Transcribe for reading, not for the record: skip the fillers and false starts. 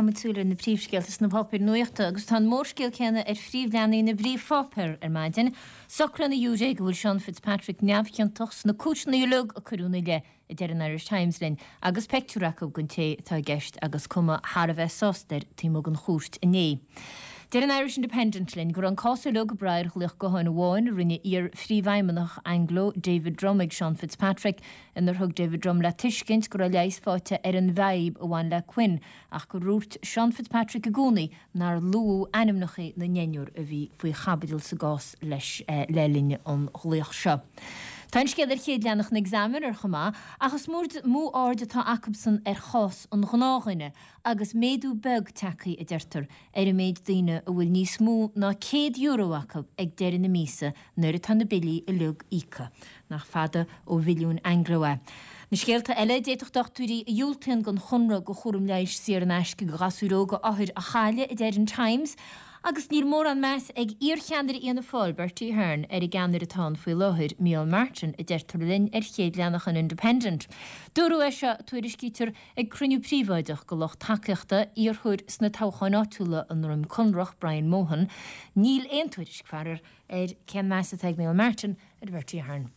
Caithfimid súil ar na príomhscéalta sna páipéir nuachta agus tá an mórscéal céanna ar phríomhleathanaigh na bpríomhpháipéar ar maidin. Socraíonn an ghiúiré go bhfuil Sean Fitzpatrick neamhchiontach sna cúiseanna uilig a cuireadh ina leith, a deir an Irish Times linn, agus peictiúr acu den té atá i gceist agus cuma thar a bheith sásta air taobh amuigh den chúirt inné. Deir an Irish Independent linn go raibh an cás uilig ag brath ar ghlaoch gutháin amháin a rinne iar-phríomhfheidhmeannach Anglo, David Drumm ag Sean Fitzpatrick, inar thug David Drumm le tuiscint go raibh leigheas faighte ar an bhfadhb a bhain le Quinn ach gur dhúirt Sean Fitzpatrick i gcónaí nár luadh ainmneacha na ndeichniúr a bhí faoi chaibidil sa gcás leis le linn an ghlaoch seo. Tá an scéal ar chéad leathanach an Examiner chomh maith ach is mó aird atá acubsan ar chás an ghnáthdhuine agus méadú beag tagtha, a deirtear, ar an méid daoine a bhfuil níos mó ná €100 acu ag deireadh na míosa nuair atá na billí uilig íoctha. Nach fada ó mhilliún Anglo é. Na scéalta eile, d'fhéadfadh dochtúirí a dhiúltaíonn don chonradh do chúram leighis saor in aisce do ghasúir óga othair a chailleadh, a deir an Times, agus níl mórán meas ag iarcheannaire Fhianna Fáil, Bertie Ahern, ar an gceannaire atá ann faoi láthair, Micheál Martin, a deirtear linn ar chéad leathanach an Independent. Dúradh é seo, tuairiscítear, ag cruinniú príobháideach do lucht tacaíochta iarrthóir sna toghcháin áitiúla i nDroim Conrach, Brian Mohan. Níl aon tuairisc, faraor, ar cén meas atá ag Micheál Martin ar Bhertie Ahern.